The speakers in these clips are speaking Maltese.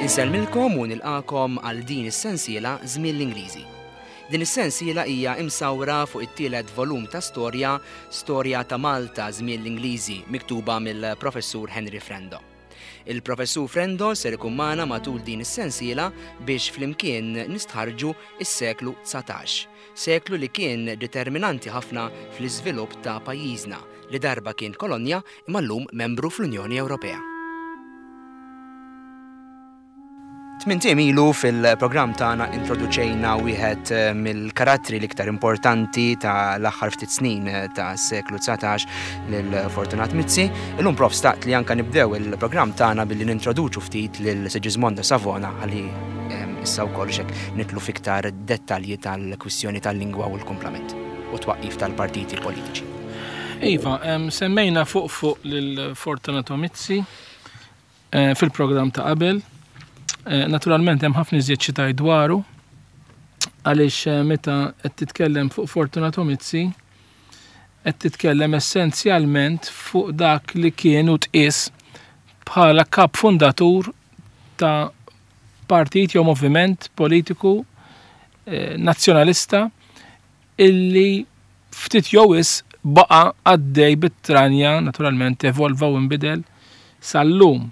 Insellmilkom u nilqakom għal din is-sensiela Żmien l-Ingliżi. Din is-sensiela hija imsawra fuq it-tielet volum ta' storja Storja ta' Malta Żmien l-Ingliżi miktuba mill-Professur Henry Frendo. Il-Professur Frendo ser ikun magħna matul din is-sensiela biex flimkien nistħarrġu s-seklu 19, seklu li kien determinanti ħafna fl-iżvilupp ta' pajjiżna li darba kien kolonja imma llum membru fl-Unjoni Ewropea. Tmint ijiem ilu fil-programm tagħna introduċejna wieħed eh, mill-karattri l-iktar importanti ta' l-aħħar ftit snin eh, ta' seklu 19 lil Fortunat Mizzi. Illum prof staqt li anka nibdew il-programm tagħna billi nintroduċu ftit lil Sigismondo Savona ħalli eh, issa wkoll xek nitlu fiktar dettalji tal-kwistjoni tal-lingwa u l-kumplament u twaqqif tal-partiti politiċi. Iva, semmejna fuq fuq lil Fortunato Mizzi eh, fil-programm ta' qabel. Eh, naturalment hemm ħafna iżjed xi tgħid dwaru għaliex eh, meta qed titkellem fuq Fortunato Mizzi qed titkellem essenzjalment fuq dak li kien u tqies bħala kap fundatur ta' partit jew moviment politiku nazzjonalista illi ftit jew wisq baqa' għaddej bit-tranja, naturalment evolva u nbidel sal-lum.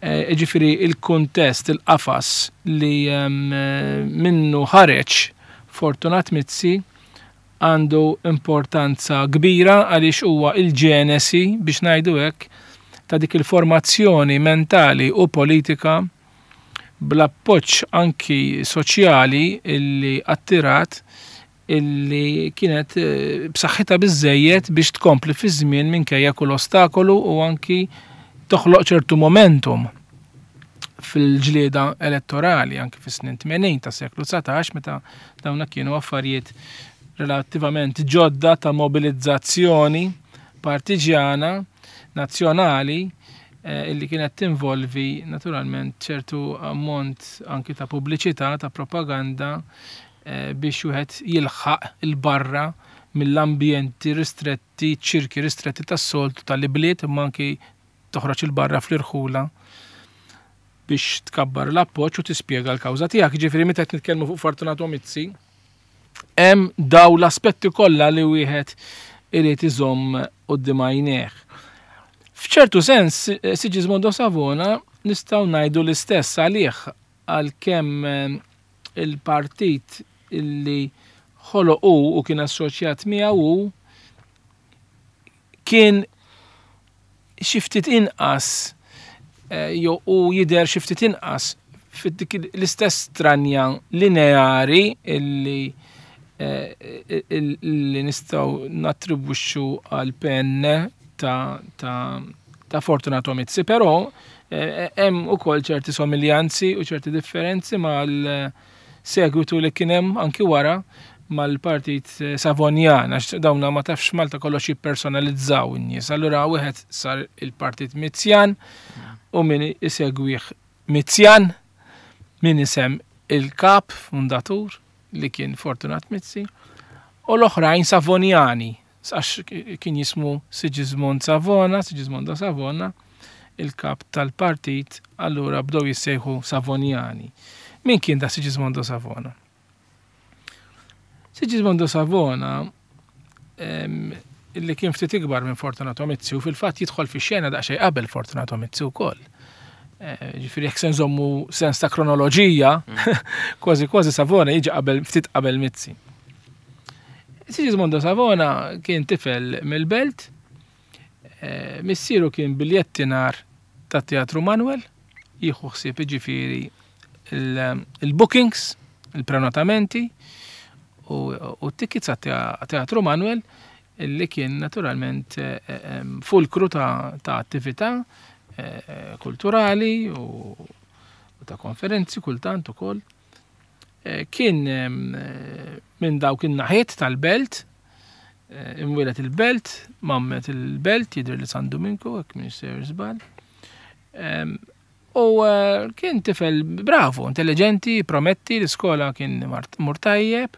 Jiġifieri il-kuntest, il-qafas li minnu ħareġ Fortunat Mizzi għandu importanza kbira għaliex huwa il-ġenesi, biex ngħidu hekk, ta' dik il-formazzjoni mentali u politika bl-appoġġ anki soċjali illi attirat illi kienet eh, b'saħħitha biżejjed biex tkompli fiż-żmien minkejja kull ostakolu u anki toħloq ċertu momentum fil-ġlieda elettorali anki fis-snin 80 ta' seklu 19 meta dawna kienu affarijiet relattivament ġodda ta' mobilizzazzjoni partiġjana nazzjonali eh, illi kienet tinvolvi naturalment ċertu ammont anki ta' pubbliċità, ta' propaganda eh, biex wieħed jilħaq il-barra mill-ambjenti ristretti, ċirki ristretti tas-soltu tal-ibliet imma anki toħroġ il-barra fl-irħula biex tkabbar l-appoġġ u tispjega l-kawża tiegħek. Ġifieri meta qed nitkellmu fuq Fortunato Mizzi, Hemm daw l-aspetti kollha li wieħed irid iżomm quddiem għajnejh. F'ċertu sens, Sigismondo Savona nistgħu ngħidu l-istess għalih għalkemm eh, il-partit illi ħoloq hu u kien assoċjat miegħu hu kien xi ftit inqas eh, jew u jidher xi ftit inqas fid-dik l-istess stranja lineari illi eh, illi nistgħu nattribwixxu għal PN ta' ta' ta' Fortunato Mizzi, però eh, hemm ukoll ċerti somiljanzi u ċerti differenzi mal segwitu li kien hemm anki wara mal-partit eh, Savonjan, għax dawna ma tafx Malta kollox jippersonalizzaw in-nies. Allura wieħed sar il-partit Mizzjan u min isegwih Mizzjan, min isem il-kap fundatur li kien Fortunat Mizzi, u l-oħrajn Savonjani, għax kien jismu Sigismond Savona, Sigismondo Savona, il-kap tal-partit, allura bdew jissejħu Savonjani. Min kien da Sigismondo Savona? Sigismondo Savona illi kien ftit ikbar minn Fortunato Mizzi u fil-fatt jidħol fi xena daqsxejn qabel Fortunato Mizzi wkoll. Eh, ġifieri jekk se nżommu sens ta' kronoloġija, mm. kważi kważi Savona jiġi qabel ftit qabel Mizzi. Sigismondo Savona kien tifel mill-belt, eh, missieru kien biljettinar ta' Teatru Manuel, jieħu ħsieb jiġifieri il-bookings, il-prenotamenti u t-tickets għat-Teatru Manuel li kien naturalment eh, eh, fulkru ta' attività eh, kulturali u ta' konferenzi kultant ukoll. Kien minn dawk in-naħiet tal-belt, imwieled il-belt, mammet il-belt, jidher li San Duminku, hekk minn sejjer żball. U eh, kien tifel bravu, intelligenti, prometti, l-iskola kien mur tajjeb.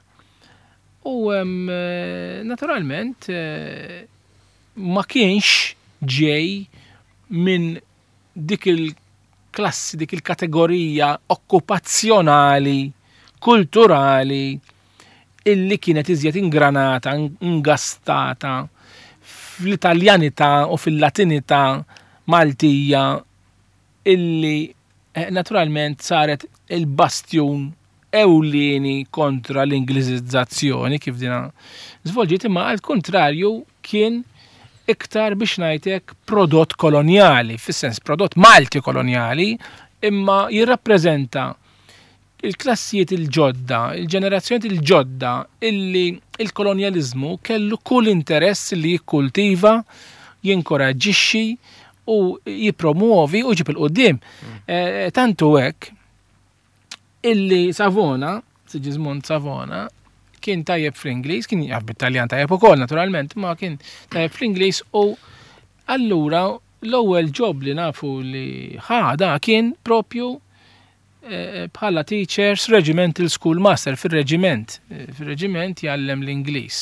U eh, naturalment eh, ma kienx ġej minn dik il-klassi, dik il-kategorija okkupazzjonali, kulturali, illi kienet iżjed ingranata, ingastata fl-Italjanità u fil-Latinità Maltija illi eh, naturalment saret il-bastjun ewlieni kontra l-Ingliżizzazzjoni kif dina żvolġiet imma għal kontrarju kien iktar biex ngħidlek prodott kolonjali, fis-sens prodott Malti kolonjali, imma jirrappreżenta il-klassijiet il-ġodda, il-ġenerazzjonijiet il-ġodda illi il-kolonjaliżmu kellu kull interess li jikkultiva, jinkoraġġixxi u jippromuovi u jġib 'il quddiem. Mm. Eh, tantu hekk illi Savona, Sigismund Savona, kien tajjeb fl-Ingliż, kien jaf bit-Taljan tajjeb ukoll naturalment, ma kien tajjeb fl-Ingliż u allura l-ewwel job li nafu li ħada kien propju eh, bħala teachers regimental school master fil-reġiment. Eh, fil-reġiment jgħallem l-Ingliż.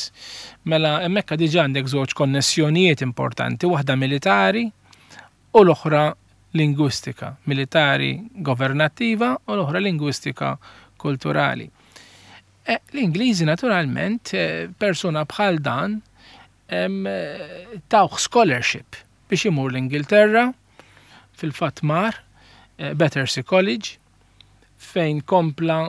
Mela hemmhekk diġà għandek żewġ konnessjonijiet importanti, waħda militari u l-oħra lingwistika, militari governattiva u l-oħra lingwistika kulturali. Eh, L-Ingliżi naturalment persuna bħal dan tawh scholarship biex imur l-Ingilterra, fil-fatt mar eh, Battersea College, fejn kompla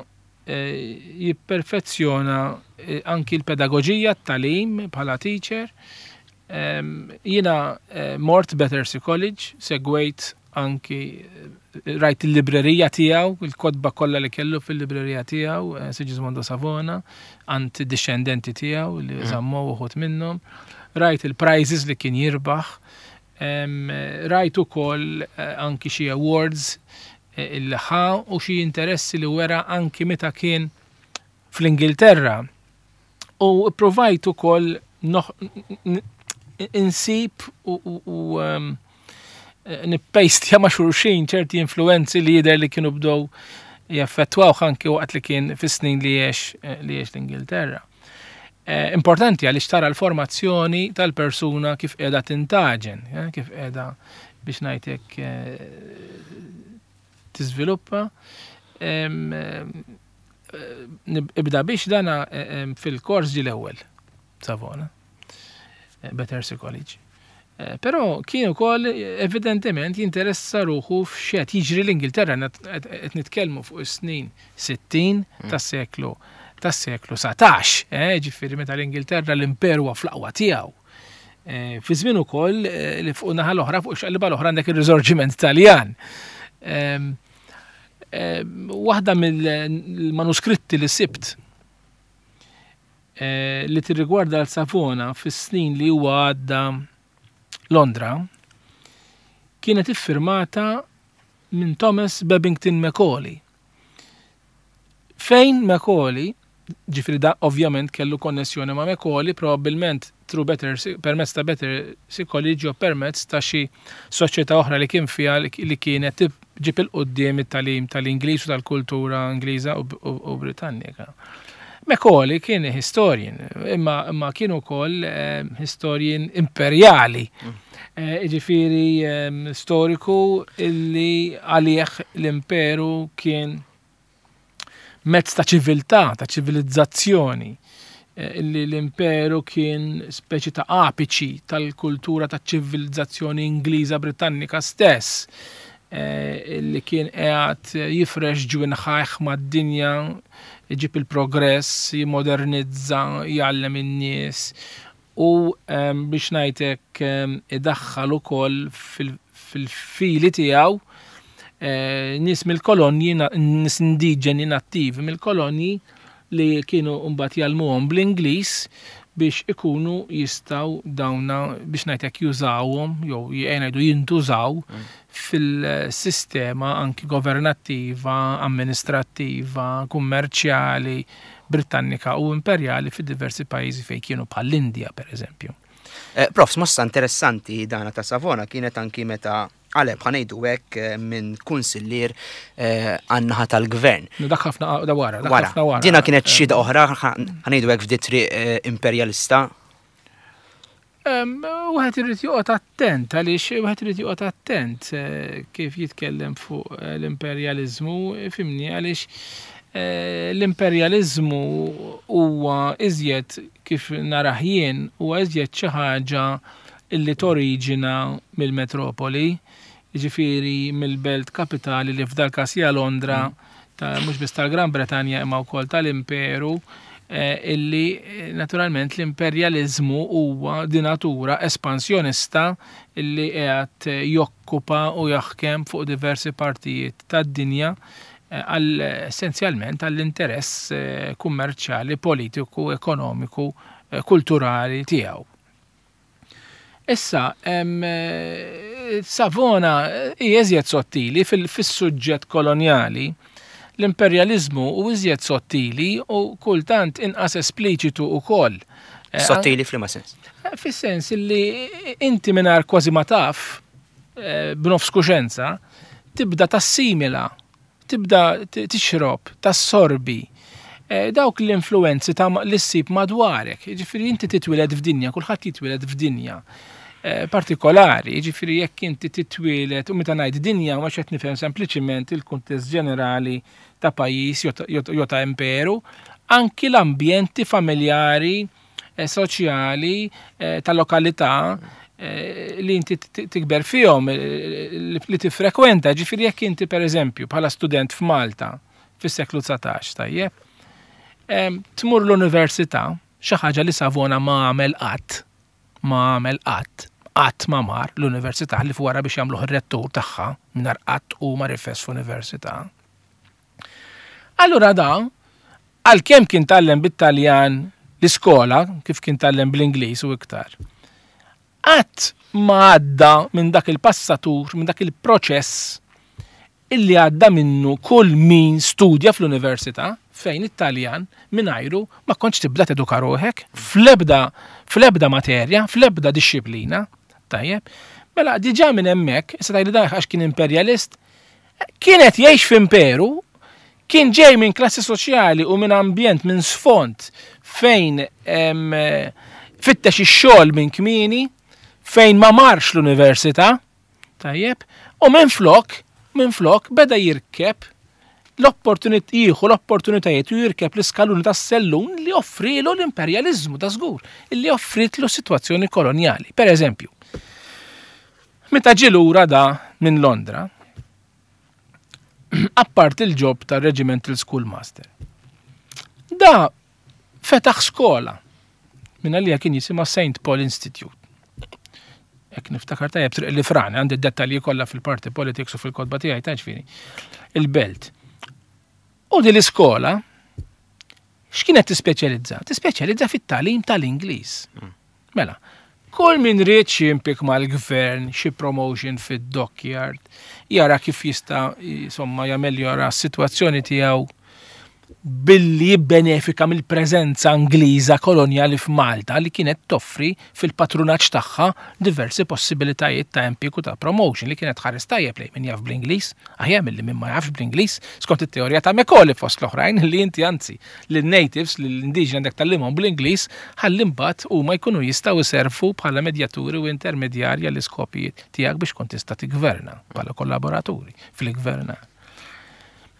eh, jipperfezzjona eh, anki l-pedagoġija t-tagħlim bħala teacher. Jiena mort Battersea College, segwejt anki rajt il-librerija tiegħu, il-kotba kollha li kellu fil-librerija tiegħu, eh, Sigismondo Savona, għand discendenti tiegħu li mm. żammu uħud minnhom. Rajt il-prizes li kien jirbaħ, rajt ukoll eh, anki xi awards eh, il ħa u xi interessi li wera anki meta kien fl-Ingilterra U provajt ukoll insib u ehm, nippejstja ma' xulxin ċerti influenzi li jidher li kienu bdew jaffettwaw anki waqt li kien fis-snin li jiex eh, li jiex l-Ingilterra. Eh, importanti għaliex tara l-formazzjoni tal-persuna kif qiegħda tintaġen, eh, kif qiegħda biex ngħidlek tiżviluppa. Ibda biex dana fil-kors ġi l-ewwel Savona, eh, Battersea College. Eh, però kien ukoll evidentement jinteressa ruħu f'xed jiġri l-Ingilterra qed nitkellmu fuq is-snin 60 mm. tas-seklu tas-seklu 19, eh, ġifieri meta l-Ingilterra l-imperu fl-aqwa tiegħu. Eh, fi żmien ukoll eh, li fuq naħa l-oħra fuq xaqliba l-oħra għandek ir-riżorġiment Taljan. Ehm, ehm, waħda mill-manuskritti li sibt eh, li tirrigwarda l-Savona fis-snin li huwa għadda Londra kienet iffirmata minn Thomas Babington Macaulay. Fejn Macaulay, ġifieri da ovvjament kellu konnessjoni ma' Macaulay, probabbilment through Better, permezz ta' Battersea College jew permezz ta' xi soċjetà oħra li kien fiha li kienet ġib 'il quddiem it-tagħlim tal-Ingliż u tal-kultura Ingliża u Britannika. Macaulay kien historian, imma, imma kien ukoll eh, historian imperjali. Mm. Eh, ġifieri eh, storiku illi għalih l-imperu kien mezz ta' ċiviltà, ta' ċivilizzazzjoni, eh, illi l-imperu kien speċi ta' apiċi tal-kultura ta' ċivilizzazzjoni Ingliża Britannika stess, eh, illi kien qiegħed jifrex ġwinħajh mad-dinja, iġib il-progress, jimodernizza, jgħallem in-nies u ehm, biex ngħidlek ehm, idaħħal ukoll fil-fili tiegħu eh, nies mill-kolonji, nies indiġeni nattivi mill-kolonji li kienu mbagħad jgħallmuhom bl-Ingliż biex ikunu jistgħu dawna biex ngħidlek jużawhom jew ngħidu jintużaw mm. fil-sistema anki governattiva, amministrattiva, kummerċjali, Britannika u imperjali fi diversi pajjiżi fejn kienu bħall-Indja pereżempju. Eh, Prof, mossa interessanti dana ta' Savona kienet anki meta għaleb ħanejdu hekk eh, minn kunsillier eh, għan-naħa tal-gvern. Dak ħafna da wara, dak ħafna wara. Dina kienet xhieda oħra ħanejdu hekk f'di triq imperjalista. Wieħed irid joqgħod attent għaliex wieħed irid joqgħod attent eh, kif jitkellem fuq eh, l-imperjaliżmu, fimni għaliex eh, l-imperjaliżmu huwa iżjed kif narah jien huwa iżjed xi ħaġa illi toriġina mill-metropoli, jiġifieri mill-belt kapitali li f'dal każ hija Londra, ta' mhux biss tal-Gran Bretanja imma wkoll tal-Imperu, illi naturalment l-imperjaliżmu huwa di natura espansjonista illi qiegħed jokkupa u jaħkem fuq diversi partijiet tad-dinja għal essenzjalment għall-interess kummerċjali, politiku, ekonomiku, kulturali tiegħu. Issa, Savona hija iżjed sottili fis-suġġett kolonjali. L-imperjaliżmu hu iżjed sottili u kultant inqas espliċitu wkoll. Eh, sottili f'liema sens? Eh, fis-sens li inti mingħajr kważi ma taf, eh, b'nofs kuxenza, tibda tassimila tibda tixrob, tassorbi eh, dawk l-influenzi ta' li ssib madwarek. Jiġifieri inti titwieled f'dinja, kulħadd jitwieled f'dinja eh, partikolari, jiġifieri jekk inti titwieled u meta ngħid dinja ma qed nifhem sempliċiment il-kuntest ġenerali ta' pajjiż jew ta' imperu, anki l-ambjenti familjari Eh, soċjali eh, ta' lokalità eh, li inti tikber fihom, li tifrekwenta, ġifieri jekk inti pereżempju bħala student f'Malta fis-seklu 19, tajjeb, tmur l-università, xi ħaġa li Savona ma għamel qatt, ma għamel qatt, qatt ma mar l-università li wara biex jagħmluh ir-rettur tagħha mingħajr qatt u ma rifes f'università. Allura da, għalkemm kien tgħallem bit-Taljan l-iskola, kif kien tgħallem bl-Ingliż u iktar, qatt ma għadda minn dak il-passatur, minn dak il-proċess illi għadda minnu kull min studja fl-università fejn it-Taljan mingħajru ma kontx tibda teduka ruħek fl-ebda fl-ebda materja, fl-ebda dixxiplina. Tajjeb. Mela diġà minn hemmhekk, issa tgħidli dan għax kien imperjalist, Kien qed jgħix f'imperu, kien ġej minn klassi soċjali u minn ambjent, minn sfond fejn fittex ix-xogħol minn kmieni, fejn ma marx l-università, tajjeb, u minflok, minflok beda jirkeb l-opportunit jieħu l-opportunitajiet u jirkeb l-iskaluni tas-sellun li offrilu l-imperjaliżmu ta' żgur, li offritlu sitwazzjoni kolonjali. Per eżempju, Meta ġie lura da minn Londra, apparti l-ġob ta' Regimental Schoolmaster, da fetaħ skola minn għalija kien jisimha St. Paul Institute. Ek niftakar tajjeb triq li frani, għandi dettalji kollha fil-party politics u fil-kodba tiegħi ta' ġifieri. Il-belt. U din l-iskola x'kienet tispeċjalizza? Tispeċjalizza fit-tagħlim tal-Ingliż. Mm. Mela, kull min ried xi impik mal-gvern, xi promotion fid-dockyard, jara kif jista' insomma jameljora s-sitwazzjoni tiegħu billi jibbenefika mill-preżenza Ingliża kolonjali f'Malta li kienet toffri fil-patrunaġġ tagħha diversi possibilitajiet ta' impjieg u ta' promotion li kienet tħares tajjeb lejn min jaf bl-Ingliż, aħjar milli min ma jafx bl-Ingliż, skont it-teorija ta' Macaulay fost l-oħrajn li inti anzi lin-natives, lill-indiġeni għandek tgħallimhom bl-Ingliż ħalli mbagħad huma jkunu jistgħu jservu bħala medjaturi u intermedjarji għall-iskopijiet tiegħek biex tkun tista' tiggverna bħala kollaboraturi fil-gvernar.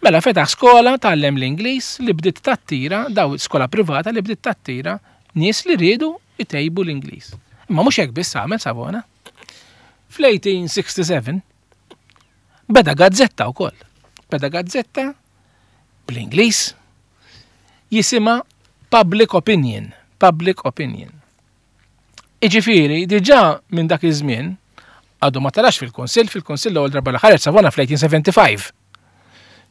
Mela fetaħ skola tgħallem l-Ingliż li bdiet tattira daw skola privata li bdiet tattira nies li riedu jtejbu l-Ingliż. Imma mhux hekk biss għamel Savona. Fl-1867 beda gazzetta wkoll. Beda gazzetta bl-Ingliż jisimha Public Opinion. Public Opinion. Iġifieri, diġà minn dak iż-żmien għadu ma telax fil-Kunsill, fil-Kunsill l-ewwel darba li ħareġ Savona fl-1875.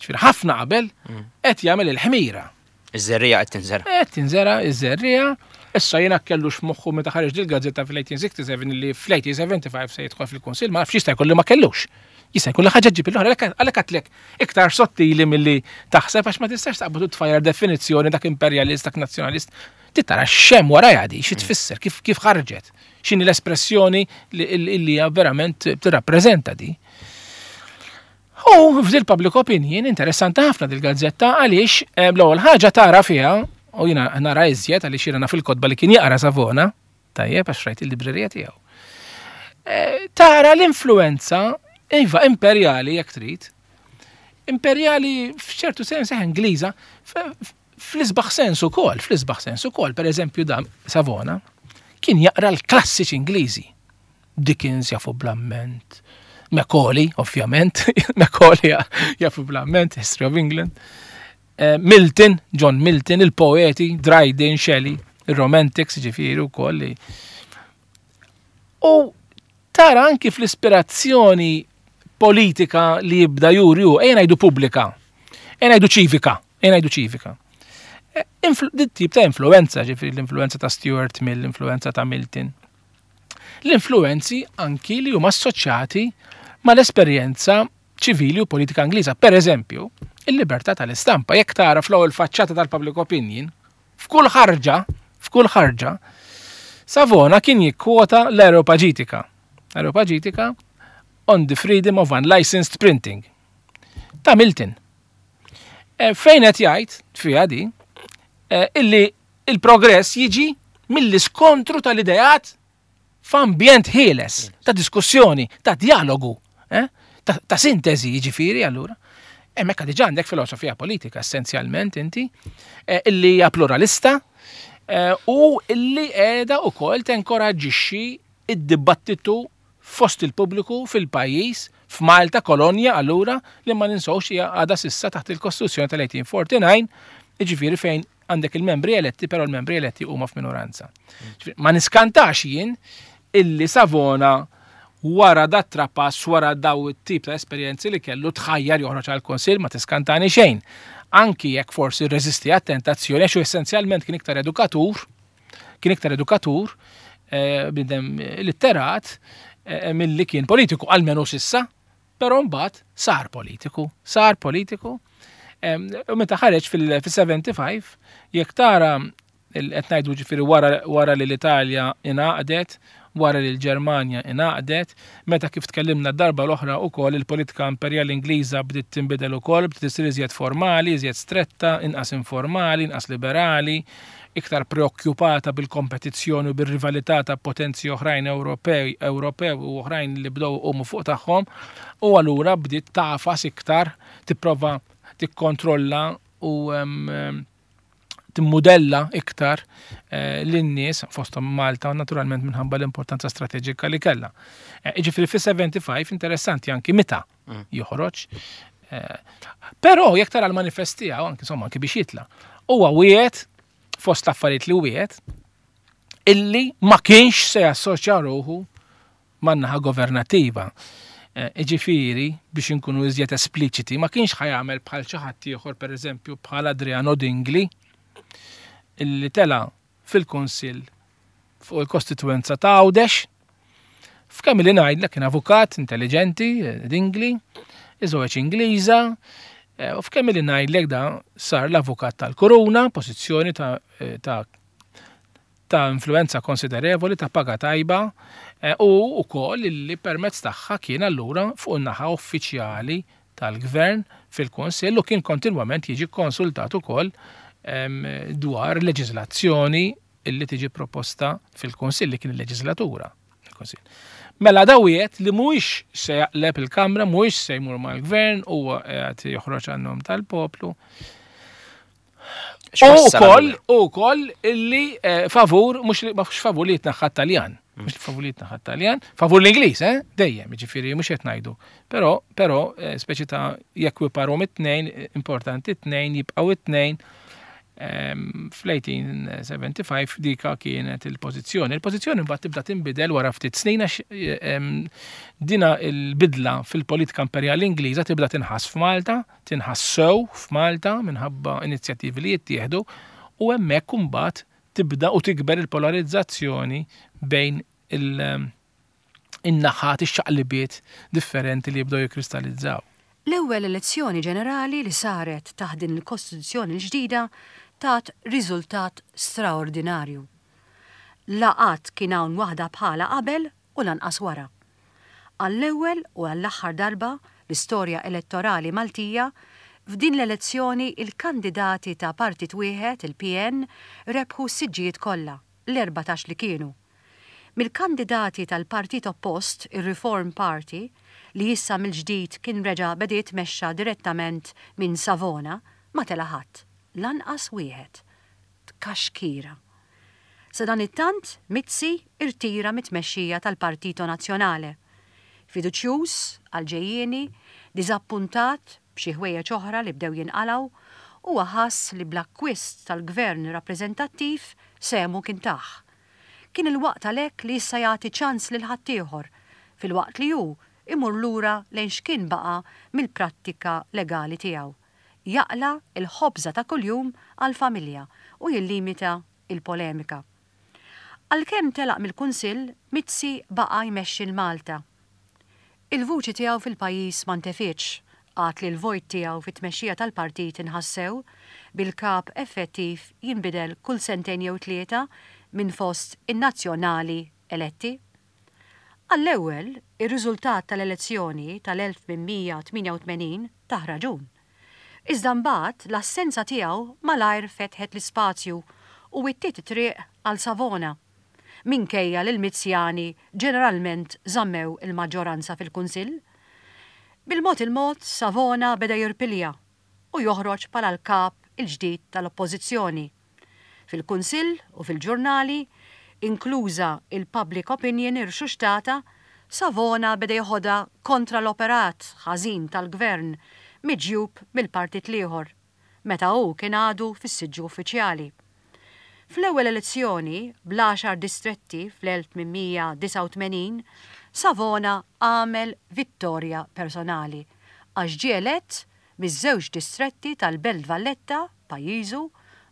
Ġifieri ħafna qabel mm. qed jagħmel il-ħmira. Iż-żerriegħa qed tinżera. Qed tinżera iż-żerriegħa. Issa jiena kellux f'moħħu meta ħareġ dil-gazzetta fil-1867 li fl-1875 se jidħol fil-Kunsill, ma nafx jista' jkun li ma kellux. Jista' jkun li ħaġa ġib l-oħra, għalhekk għatlek iktar sottili milli taħseb għax ma tistax taqbad u tfajjar definizzjoni dak imperjalist, dak nazzjonalist. Trid tara x'hemm warajha di, xi tfisser, kif kif ħarġet, x'inhi l-espressjoni li hija verament tirrappreżenta di. U f'dil public opinion interessanti ħafna dil-gazzetta għaliex eh, l-ewwel ħaġa tara fiha u jiena nara iżjed għaliex jiena naf il-kotba li kien jaqra Savona. Tajjeb għax rajt il-librerija tiegħu. Eh, tara l-influenza, iva, imperjali jekk trid, imperjali f'ċertu sens eh, Ingliża, fl-isbaħ sens ukoll, fl-isbaħ sens ukoll, per eżempju da Savona, kien jaqra l-klassiċi Ingliżi. Dickens jafu bl-amment, Macaulay, ovvjament, Macaulay jafu bl-amment, History of England. Eh, Milton, John Milton, il-poeti, Dryden, Shelley, il-Romantics, ġifiri u koll. U tara anki fl-ispirazzjoni politika li jibda juri u, ejja ngħidu pubblika, ejja ngħidu ċivika, ejja ngħidu ċivika. Eh, dit tip ta' influenza, ġifiri l-influenza ta' Stuart Mill, l-influenza ta' Milton. L-influenzi anki li huma assoċjati mal-esperjenza ċivili u politika Ingliża. Per eżempju, il-libertà tal-istampa. Jekk tara fl-ewwel faċċata tal-public opinion, f'kull ħarġa, f'kull ħarġa, Savona kien jikkwota l-Aeropagitika. Aeropagitika on the freedom of unlicensed printing. Ta' Milton. E, fejn qed jgħid fiha di e, illi il-progress jiġi mill-iskontru tal-ideat f'ambjent ħieles ta' diskussjoni, ta' dialogu, eh? ta', ta sintesi jiġifieri allura. Hemmhekk diġà għandek filosofija politika essenzjalment inti, eh, illi hija pluralista eh, u illi qiegħda wkoll tenkoraġġixxi id-dibattitu fost il-pubbliku fil-pajjiż, f'Malta, kolonja allura, li ma ninsewx hija għadha s'issa taħt il-Kostituzzjoni tal-1849, jiġifieri fejn għandek il-membri eletti, però l-membri eletti huma f'minoranza. Ma niskantax jien illi Savona wara dat trapass, wara daw it-tip ta' esperjenzi li kellu tħajjar joħroġ għal konsil ma tiskantani xejn. Anki jekk forsi rreżisti għat-tentazzjoni għax essenzjalment kien iktar edukatur, kien iktar edukatur, eh, bidem litterat, eh, milli kien politiku, almenu sissa, Però mbagħad sar politiku, sar politiku. U meta ħareġ fil-75, jekk tara qed ngħidu ġifieri wara li l-Italja ingħaqdet, wara li l-Ġermanja ingħaqdet, meta kif tkellimna d-darba l-oħra wkoll il-politika imperjali Ingliża bdiet tinbidel ukoll, bdiet issir iżjed formali, iżjed stretta, inqas informali, inqas liberali, iktar preokkupata bil-kompetizzjoni u bir-rivalità ta' potenzi oħrajn Ewropej, Ewropew u oħrajn li bdew iqumu fuq tagħhom, u allura bdiet tagħfas iktar, tipprova tikkontrolla u timmudella iktar eh, lin-nies fosthom Malta naturalment minħabba l-importanza strateġika li kellha. Eh, jiġifieri fis-75 interessanti anki meta mm. joħroġ. Eh, però jekk tara l-manifest tiegħu anki insomma anki biex jitla', huwa wieħed fost l-affarijiet li wieħed illi ma kienx se jassoċja ruħu man-naħa governattiva. Eh, iġifieri, biex inkunu iżjed espliċiti, ma kienx ħajamel bħal xi ħadd ieħor pereżempju bħal Adriano Dingli illi tela fil-Kunsill fuq il-kostitwenza ta' Għawdex. F'kemm li ngħidlek kien avukat intelligenti, Dingli, iżewweġ Ingliża, eh, u f'kemm li ngħidlek da sar l-avukat tal-Kuruna, pożizzjoni ta', eh, ta ta' influenza konsiderevoli, ta' paga tajba, eh, u wkoll li permezz tagħha kien allura fuq in-naħa uffiċjali tal-Gvern fil-Kunsill u kien kontinwament jiġi kkonsultat ukoll dwar leġiżlazzjoni illi tiġi proposta fil-Kunsill li kien il-leġiżlatura. Mela da wieħed li mhuwiex se jaqleb il-Kamra, mhuwiex se jmur mal-Gvern, huwa qed joħroġ għan-nom tal-poplu. U wkoll u wkoll illi eh, favur mhux mhux favur li jitnaħħa Taljan. Mm. Mhux favur li jitnaħħa Taljan, favur l-Ingliż, eh? Dejjem, jiġifieri mhux qed ngħidu. Però però eh, speċi ta' jekkwiparhom it-tnejn, eh, importanti t-tnejn jibqgħu it-tnejn ehm, fl-1875 dika kienet il-pożizzjoni. Il-pożizzjoni mbagħad tibda tinbidel wara ftit snin għax ehm, dina il-bidla fil-politika imperjali Ingliża tibda tinħass f'Malta tinħass sew f'Malta minħabba inizjattivi li jittieħdu u hemmhekk imbagħad tibda u tikber il-polarizzazzjoni bejn in-naħat, ix-xaqlibiet differenti li jibdew jikkristallizzaw. L-ewwel elezzjoni ġenerali li saret taħt din il-Kostituzzjoni l-ġdida tat riżultat straordinarju. La qatt kien hawn waħda bħalha qabel u lanqas wara. Għall-ewwel u għall-aħħar darba l-istorja elettorali Maltija, f'din l-elezzjoni il-kandidati ta' partit wieħed, il-PN, rebħu s-siġġijiet kollha, l-erbatax li kienu. Mill-kandidati tal-partit oppost, ir-Reform Party, li issa mill-ġdid kien reġa' beda jitmexxa direttament minn Savona, ma tela' ħadd, lanqas wieħed. Tkaxkira. Sadanittant, Mizzi rtira mit-tmexxija tal-Partito Nazionale. Fiduċjuż għall-ġejjieni, diżappuntat b'xi ħwejjeġ oħra li bdew jinqalgħu, huwa ħass li bl-akkwist tal-gvern rappreżentattiv sehmu kien tah. Kien il-waqt għalhekk li issa jagħti ċans lil ħaddieħor, filwaqt li hu imur lura lejn x'kien baqa' mill-prattika legali tiegħu, jaqla' l-ħobża ta' kuljum għall-familja u jillimita l-polemika. Għalkemm telaq mill-Kunsill, Mizzi baqa' jmexxi 'l Malta. Il-vuċi tiegħu fil-pajjiż ma ntefietx, għad li l-vojt tiegħu fit-tmexxija tal-partit inħass sew, bil-kap effettiv jinbidel kull sentejn jew tlieta minn fost in-nazzjonali eletti. Għall-ewwel, ir-riżultat tal-elezzjoni tal-1888 tah raġun. Iżda mbagħad l-assenza tiegħu malajr fetħet l-ispazju u wittiet it-triq għal Savona. minkejja li l-Mizzjani ġeneralment żammew il-maġġoranza fil-Kunsill. Bil-mod il-mod Savona beda jirpilja u joħroġ bħala l-kap il-ġdid tal-Oppożizzjoni. Fil-Kunsill u fil-ġurnali, inkluża il-public opinion irxuxtata, Savona beda jeħodha kontra l-operat ħażin tal-Gvern miġjub mill-partit l-ieħor. meta hu kien għadu fis-siġġu uffiċjali. Fl-ewwel elezzjoni, bl-għaxar distretti fl-1889, Savona għamel vittorja personali għax ġie elett miż-żewġ distretti tal-Belt Valletta, pajjiżu,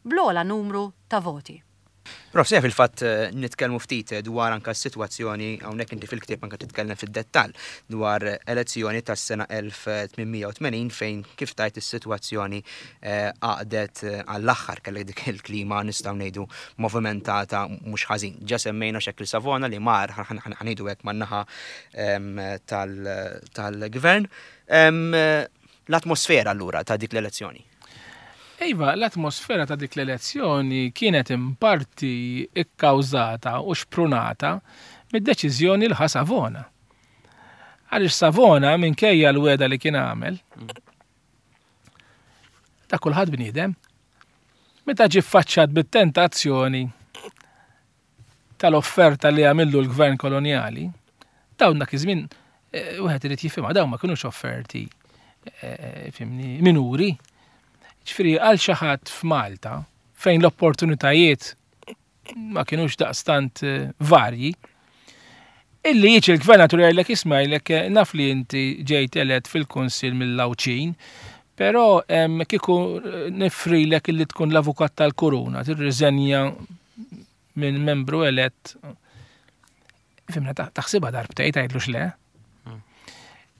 bl-ogħla numru ta' voti. Prof, se fil-fatt eh, nitkellmu ftit dwar anka s-sitwazzjoni hawnhekk inti fil-ktieb anka titkellem fid-dettall dwar elezzjoni tas-sena 1880 fejn kif tajt is-sitwazzjoni eh, għaqdet eh, għall-aħħar kellek dik il-klima nistgħu ngħidu movimentata mhux ħażin. Ġa semmejna xekil Savona li mar ħanidu hekk man-naħa ehm, tal-gvern. Ehm, l-atmosfera allura ta' dik l-elezzjoni. Iva, l-atmosfera ta' dik l-elezzjoni kienet in parti kkawżata u xprunata mid-deċiżjoni li ħa Savona. Għaliex Savona minkejja l-wegħda li kien għamel, ta' kulħadd bniedem, meta ġie ffaċċat bit-tentazzjoni tal-offerta li għamillu l-gvern kolonjali, dawn dak iż-żmien eh, wieħed irid jifhimha dawn ma kinux offerti eh, fimni minuri. Ġifieri għal xi ħadd f'Malta fejn l-opportunitajiet ma kinux daqstant eh, varji, illi jiġi l-gvernatur jgħidlek isma' jgħidlek naf li inti ġejt elett fil-kunsill mill-Għawdxin, però kieku nifrilek illi tkun l-avukat tal-kuruna, tirriżenja minn membru elett fimna taħsibha darbtej tgħidlux le. Hmm.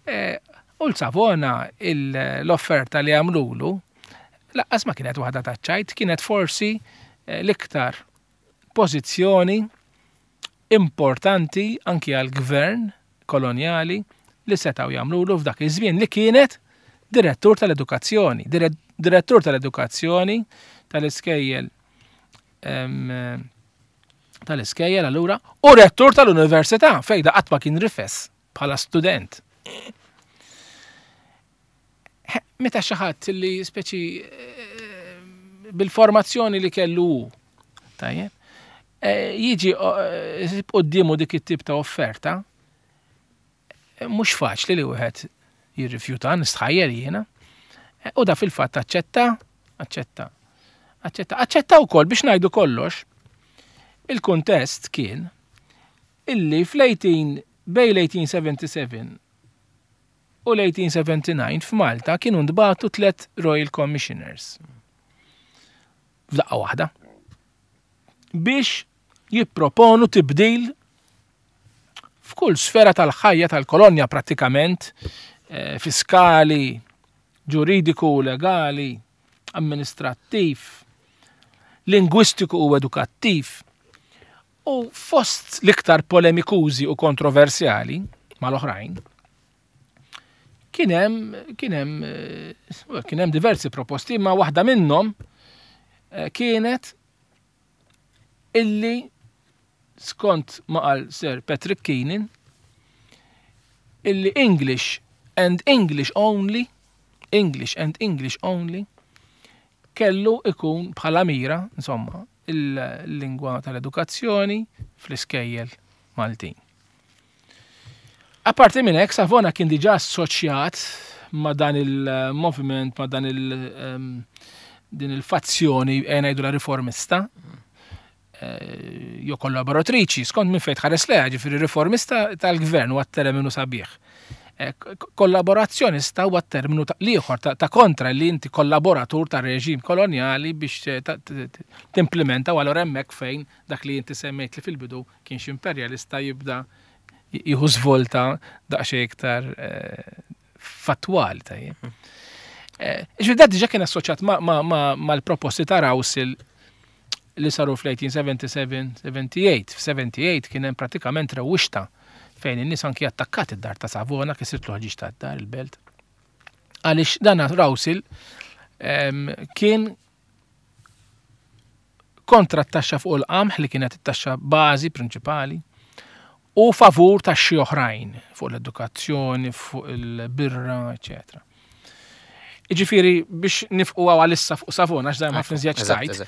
Eh, u l-Savona l-offerta li għamlulu laqqas ma kienet waħda taċ-ċajt, kienet forsi eh, l-iktar pożizzjoni importanti anki għal-gvern kolonjali li setgħu jagħmlulu f'dak iż-żmien li kienet direttur tal-edukazzjoni, direttur tal-edukazzjoni tal-iskejjel tal-iskejjel allura u rettur tal-università fejn da qatt ma kien rifes bħala student. Meta xi ħadd li speċi eh, bil-formazzjoni li kellu hu, tajjeb, eh, jiġi eh, quddiemu dik it-tip ta' offerta, Mhux faċli li wieħed jirrifjuta, nistħajjel jiena. U da fil-fatt aċċetta, aċċetta, aċċetta, aċċetta wkoll biex ngħidu kollox. Il-kuntest kien illi fl-18 bej l-1877 u l-1879 f'Malta kienu ntbagħtu tlet Royal Commissioners. F'daqqa waħda. Biex jipproponu tibdil f'kull sfera tal-ħajja tal-kolonja prattikament, eh, fiskali, ġuridiku u legali, amministrattiv, lingwistiku u edukattiv, u fost l-iktar polemikużi u kontroversjali mal-oħrajn, kien hemm kien hemm eh, kien hemm diversi proposti, imma waħda minnhom eh, kienet illi skont ma qal Sir Patrick Keenan, illi English and English only, English and English only, kellu ikun bħala mira, insomma, il-lingwa tal-edukazzjoni fl-iskejjel Maltin. Apparti minn hekk, Savona kien diġà assoċjat ma' dan il-moviment, ma' dan il- ehm, din il-fazzjoni eh, ngħidu la riformista, eh, jew kollaboratriċi, skont minn fejn tħares leha, ġifieri riformista tal-gvern huwa terminu sabiħ. Eh, kollaborazzjonista huwa terminu l-ieħor ta' kontra li inti kollaboratur ta' reġim kolonjali biex eh, timplementa u allura hemmhekk fejn dak li inti semmejt li fil-bidu kienx imperjalista jibda jieħu żvolta daqsxejn iktar fattwali tajjeb. Ġifieri dak diġà kien assoċjat mal-proposti ta' Rowsill li saru fl-1877-78. F'78 kien hemm pratikament rewwixta fejn in-nies anki attakkat id-dar ta' Savona, kisirtlu ħġieġ tad-dar il-belt. Għaliex dan Rowsill kien kontra t-taxxa fuq il-qamħ li kienet it-taxxa bażi prinċipali u favur taxxi oħrajn fuq l-edukazzjoni, fuq il-birra, eccetera. Iġifiri, biex nifqu għalissa fuq Savona, għax dajjem ħafna iżjed tajt.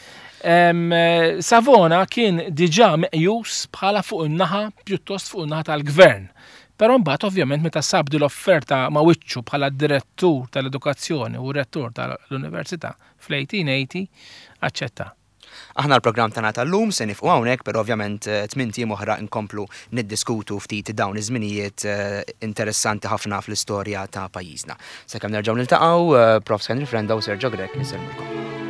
Savona kien diġà meqjus bħala fuq in-naħa, pjuttost fuq in-naħa tal-gvern. Però mbagħad ovvjament meta sab din l-offerta ma' wiċċu bħala direttur tal-edukazzjoni u rettur tal-università fl-1880, aċċetta. Aħna l-programm tagħna tal-lum se nifqu hawnhekk, però ovvjament tmint ijiem oħra nkomplu niddiskutu ftit dawn iż-żminijiet interessanti ħafna fl-istorja ta' pajjiżna. Sakemm nerġgħu niltaqgħu, Profs Henry Frendo u Sergio Grech insellmulkom.